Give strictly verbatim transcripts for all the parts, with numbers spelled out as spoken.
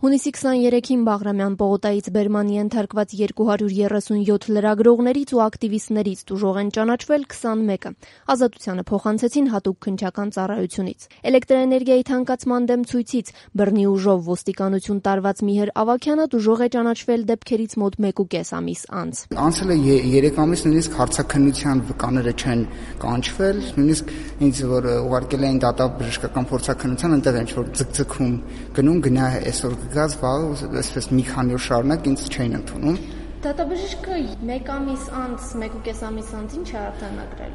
Հունիսի քսաներեքին Բաղրամյան պողոտայից բերման ենթարկված երկու հարյուր երեսունյոթ լրագրողներից ու ակտիվիստներից տուժող են ճանաչվել քսանմեկը, ազատությանը փոխանցեցին հատուկ քննչական ծառայությունից։ Էլեկտրաէներգիայի թանկացման դեմ ցույցից բռնի ուժով ոստիկանություն տարված Միհր Ավագյանը տուժող է ճանաչվել դեպքերից մոտ մեկուկես ամիս անց։ Անցել է երեք ամիս, նույնիսկ հարցաքննության վկաները չեն կանչվել, նույնիսկ ինձ որ ուղարկել էին դատաբժշկական փորձաքննության, այնտեղ ինչ որ ձգձգում գնում գնա այսօր գազ վաղ այսպես մի քանի օր շարունակ ինձ չէին ընդունում։ Դատաբժիշկը մեկ ամիս անց, մեկուկես ամիս անց ինչ է արձանագրել։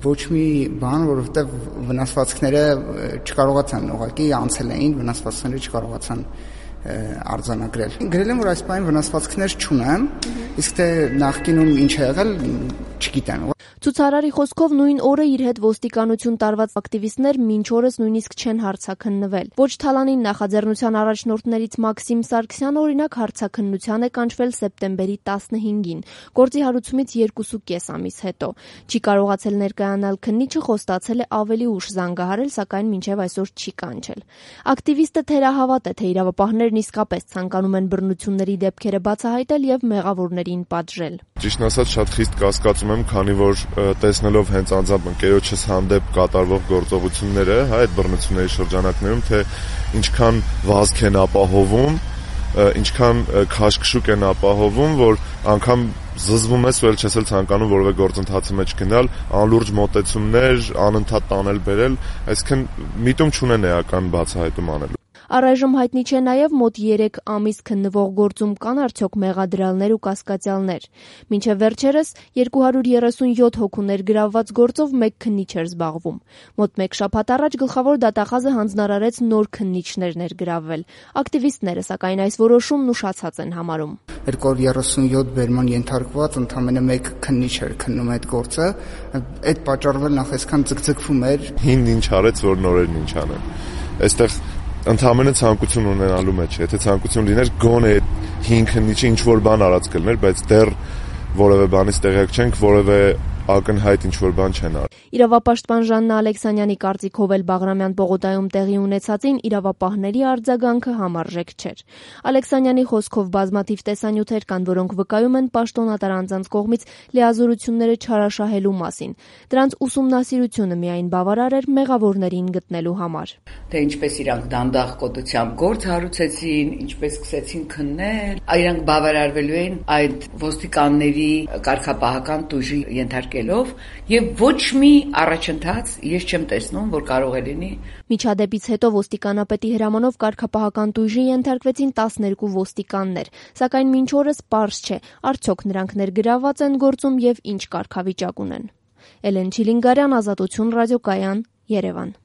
Ոչ մի բան, որովհետև վնասվածքները չկարողացան ուղղակի անցել էին, վնասվածքները չկարողացան արձանագրել։ Գրել եմ, որ այս բանը վնասվածքներ չունեմ, իսկ թե նախկինում ինչ է եղել, չգիտեմ։ Ցուցարարի խոսքով նույն օրը իր հետ ոստիկանություն տարված ակտիվիստներ մինչ օրս նույնիսկ չեն հարցաքննվել։ Ոչ Թալանին նախաձեռնության առաջնորդներից Մաքսիմ Սարգսյանը օրինակ հարցաքննության է կանչվել սեպտեմբերի տասնհինգին, գործի հարուցումից երկուսուկես ամիս հետո։ Չի կարողացել ներկայանալ քննիչը, խոստացել է ավելի ուշ զանգահարել, սակայն մինչև այսօր չի կանչել։ Ակտիվիստը թերահավատ է, թե իրավապահներն իսկապես ցանկանում են բռնությունների դեպքերը բացահայտել եւ մեղավորներին պատժել։ Ճիշտն ասած, շատ խիստ կասկածում եմ, քանի որ տեսնելով հենց անձամբ ընկերոջս հանդեպ կատարվող գործողությունները, հա, այդ բռնությունների շրջանակներում, թե ինչքան վազք են ապահովում, ինչքան քաշքշուկ են ապահովում, որ անգամ զզվում ես, որ չես էլ ցանկանում որևէ գործընթացի մեջ գնալ, անլուրջ մոտեցումներ, անընդհատ տանել բերել, այսինքն միտում չունեն էական բացահայտում անելու։ Առայժմ հայտնի չէ նաև մոտ երեք ամիս քննվող գործում կան արդյոք մեղադրյալներ ու կասկածյալներ։ Մինչև վերջերս երկու հարյուր երեսունյոթ հոգու ներգրավված գործով մեկ քննիչ էր զբաղվում։ Մոտ մեկ շաբաթ առաջ գլխավոր դատախազը հանձնարարեց նոր քննիչներ ներգրավվել։ Ակտիվիստները, սակայն այս որոշումն ուշացած են համարում։ երկու հարյուր երեսունյոթ բերման ենթարկված ընդամենը մեկ քննիչ էր քննում այդ գործը, այդ պատճառով նախ այսքան ձգձգվում էր։ Հին ինչ արեց, որ նորերն ինչ անեն։ Այստեղ ընդհանրապես ցանկություն ունենալու մեջ, եթե ցանկություն լիներ, գոնե հին քննիչը ինչ որ բան արած կլներ, բայց դեռ որևէ բանից տեղյակ չենք, որևէ ակնհայտ ինչ որ բան չեն արել։ Իրավապաշտպան Ժաննա Ալեքսանյանի կարծիքով էլ Բաղրամյան պողոտայում տեղի ունեցածին իրավապահների արձագանքը համարժեք չէր։ Ալեքսանյանի խոսքով բազմաթիվ տեսանյութեր կան, որոնք վկայում են պաշտոնատար անձանց կողմից լիազորությունները չարաշահելու մասին։ Դրանց ուսումնասիրությունը միայն բավարար էր մեղավորներին գտնելու համար։ Թե ինչպես իրանք դանդաղ կոտությամբ գործ հարուցեցին, ինչպես սկսեցին քննել, իրանք բավարարվելու են այդ ոստիկանների կարգապահական տուժի ենթարկելով եւ ոչ մի առաջընթաց ես չեմ տեսնում, որ կարող է լինի։ Միջադեպից հետո ոստիկանապետի հրամանով կարգապահական տույժի ենթարկվեցին տասներկու ոստիկաններ, սակայն մինչ օրս պարզ չէ, արդյոք նրանք ներգրավված են գործում եւ ինչ կարգավիճակ ունեն։ Էլեն Չիլինգարյան, Ազատություն ռադիոկայան, Երևան։